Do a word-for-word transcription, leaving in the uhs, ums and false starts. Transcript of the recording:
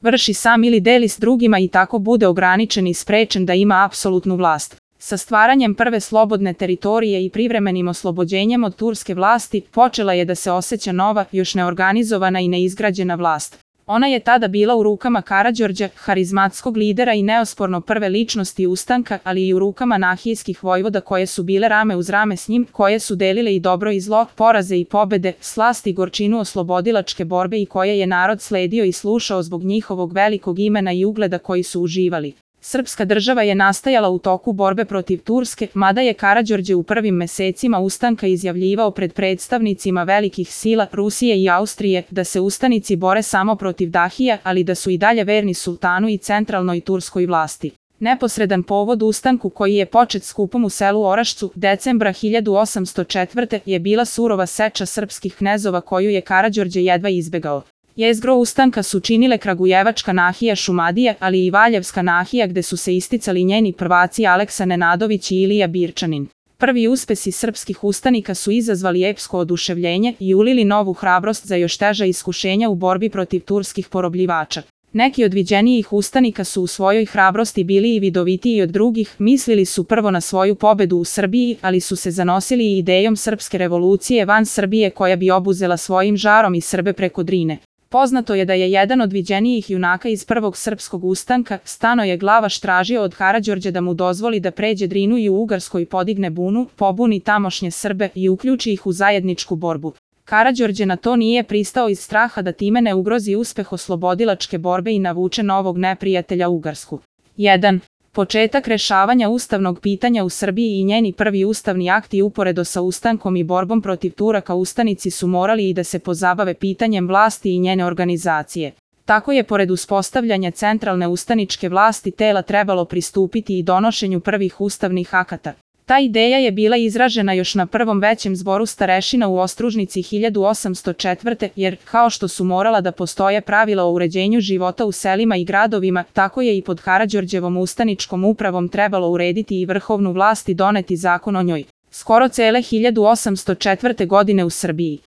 vrši sam ili deli s drugima i tako bude ograničen i sprečen da ima apsolutnu vlast. Sa stvaranjem prve slobodne teritorije i privremenim oslobođenjem od turske vlasti počela je da se osjeća nova, još neorganizovana i neizgrađena vlast. Ona je tada bila u rukama Karađorđa, harizmatskog lidera i neosporno prve ličnosti ustanka, ali i u rukama nahijskih vojvoda koje su bile rame uz rame s njim, koje su delile i dobro i zlo, poraze i pobede, slast i gorčinu oslobodilačke borbe i koje je narod sledio i slušao zbog njihovog velikog imena i ugleda koji su uživali. Srpska država je nastajala u toku borbe protiv Turske, mada je Karađorđe u prvim mesecima ustanka izjavljivao pred predstavnicima velikih sila Rusije i Austrije da se ustanici bore samo protiv Dahija, ali da su i dalje verni sultanu i centralnoj turskoj vlasti. Neposredan povod ustanku, koji je počet skupom u selu Orašcu decembra hiljadu osamsto četvrte. je bila surova seča srpskih knezova koju je Karađorđe jedva izbegao. Jezgro ustanka su činile Kragujevačka nahija Šumadija, ali i Valjevska nahija gde su se isticali njeni prvaci Aleksa Nenadović i Ilija Birčanin. Prvi uspesi srpskih ustanika su izazvali epsko oduševljenje i ulili novu hrabrost za još teža iskušenja u borbi protiv turskih porobljivača. Neki od viđenijih ustanika su u svojoj hrabrosti bili i vidovitiji od drugih, mislili su prvo na svoju pobedu u Srbiji, ali su se zanosili i idejom srpske revolucije van Srbije koja bi obuzela svojim žarom i Srbe preko Drine. Poznato je da je jedan od viđenijih junaka iz prvog srpskog ustanka, Stanoje Glavaš, tražio od Karađorđa da mu dozvoli da pređe Drinu i u Ugarskoj podigne bunu, pobuni tamošnje Srbe i uključi ih u zajedničku borbu. Karađorđe na to nije pristao iz straha da time ne ugrozi uspeh oslobodilačke borbe i navuče novog neprijatelja Ugarsku. jedan. Početak rešavanja ustavnog pitanja u Srbiji i njeni prvi ustavni akti uporedo sa ustankom i borbom protiv Turaka ustanici su morali i da se pozabave pitanjem vlasti i njene organizacije. Tako je pored uspostavljanja centralne ustaničke vlasti tela trebalo pristupiti i donošenju prvih ustavnih akata. Ta ideja je bila izražena još na prvom većem zboru starešina u Ostružnici hiljadu osamsto četvrte. jer, kao što su morala da postoje pravila o uređenju života u selima i gradovima, tako je i pod Karađorđevom ustaničkom upravom trebalo urediti i vrhovnu vlast i doneti zakon o njoj. Skoro cele hiljadu osamsto četvrte. godine u Srbiji